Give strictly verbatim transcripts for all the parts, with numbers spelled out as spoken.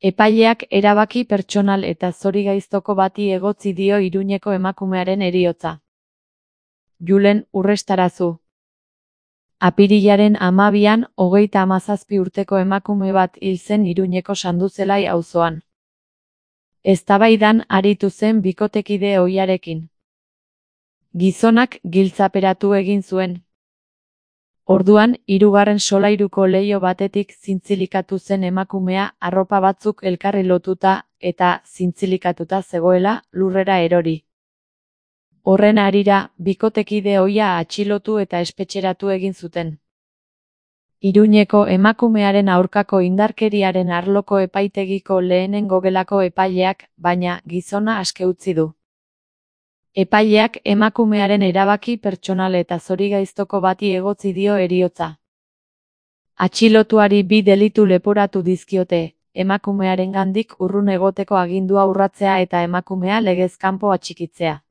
Epaileak erabaki pertsonal eta zorigaiztoko bati egotzi dio Iruñeko emakumearen heriotza. Julen Urrestarazu. Apirilaren hamabian, hogeita hamazazpi urteko emakume bat hil zen Iruñeko Sanduzelai auzoan. Eztabaidan aritu zen bikotekide ohiarekin. Gizonak giltzaperatu egin zuen. Orduan, hirugarren solairuko leiho batetik zintzilikatu zen emakumea arropa batzuk elkarri lotuta eta zintzilikatuta zegoela lurrera erori. Horren harira, bikotekide ohia atxilotu eta espetxeratu egin zuten. Iruñeko emakumearen aurkako indarkeriaren arloko epaitegiko lehenengo gelako epaileak, baina gizona aske utzi du. Epaileak emakumearen erabaki pertsonal eta zorigaiztoko bati egotzi dio heriotza. Atxilotuari bi delitu leporatu dizkiote, emakumearengandik urrun egoteko agindua urratzea eta emakumea legez kanpo atxikitzea.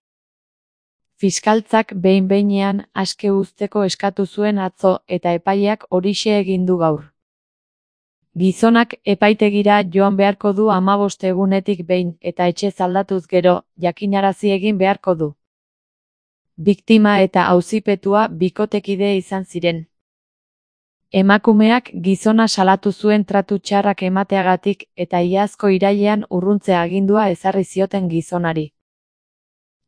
Fiskaltzak behin-behinean aske uzteko eskatu zuen atzo eta epaileak horixe egin du gaur. Gizonak epaitegira joan beharko du hamabost egunetik behin eta etxez aldatuz gero, jakinarazi egin beharko du. Biktima eta auzipetua bikotekide izan ziren. Emakumeak gizona salatu zuen tratu txarrak emateagatik eta iazko irailean urruntzea agindua ezarri zioten gizonari.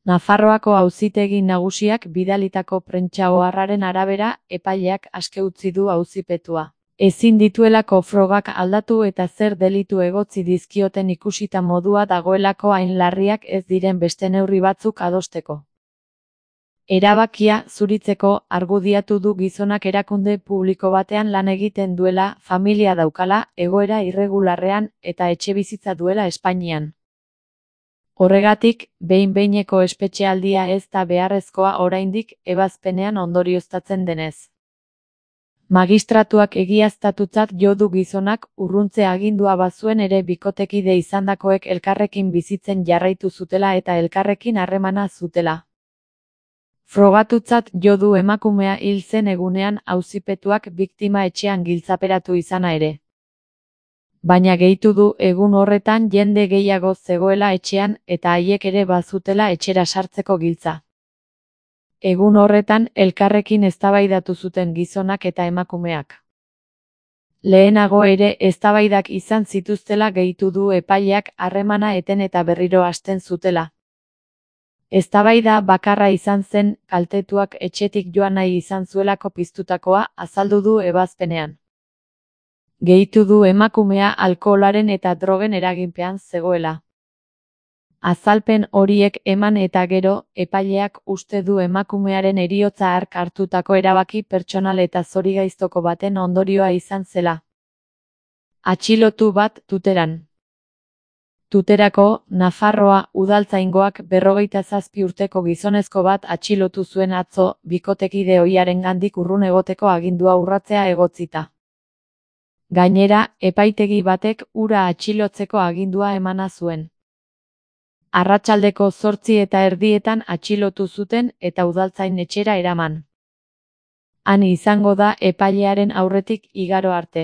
Nafarroako Auzitegi Nagusiak bidalitako prentsa oharraren arabera, epaileak aske utzi du auzipetua. Ezin dituelako frogak aldatu eta zer delitu egotzi dizkioten ikusita modua dagoelako hain larriak ez diren beste neurri batzuk adosteko. Erabakia zuritzeko argudiatu du gizonak erakunde publiko batean lan egiten duela, familia daukala, egoera irregularrean eta etxebizitza duela Espainian. Horregatik, behin-behineko espetxealdia ez da beharrezkoa oraindik ebazpenean ondorioztatzen denez. Magistratuak egiaztatutzat jo du gizonak urruntze agindua bazuen ere bikotekide izandakoek elkarrekin bizitzen jarraitu zutela eta elkarrekin harremana zutela. Frogatutzat jo du emakumea hil zen egunean auzipetuak biktima etxean giltzaperatu izana ere. Baina gehitu du egun horretan jende gehiago zegoela etxean eta haiek ere bazutela etxera sartzeko giltza. Egun horretan elkarrekin eztabaidatu zuten gizonak eta emakumeak. Lehenago ere eztabaidak izan zituztela gehitu du epaileak harremana eten eta berriro hasten zutela. Eztabaida bakarra izan zen, kaltetuak etxetik joan nahi izan zuelako piztutakoa azaldu du ebazpenean. Gehitu du emakumea alkoholaren eta drogen eraginpean zegoela. Azalpen horiek eman eta gero, epaileak uste du emakumearen heriotza hark hartutako erabaki pertsonal eta zorigaiztoko baten ondorioa izan zela. Atxilotu bat Tuteran. Tuterako, Nafarroa udaltzaingoak berrogeita zazpi urteko gizonezko bat atxilotu zuen atzo, bikotekide ohiarengandik urrun egoteko agindua urratzea egotzita. Gainera, epaitegi batek hura atxilotzeko agindua emana zuen. Arratsaldeko zortzi eta erdietan atxilotu zuten eta udaltzain etxera eraman. Han izango da epailearen aurretik igaro arte.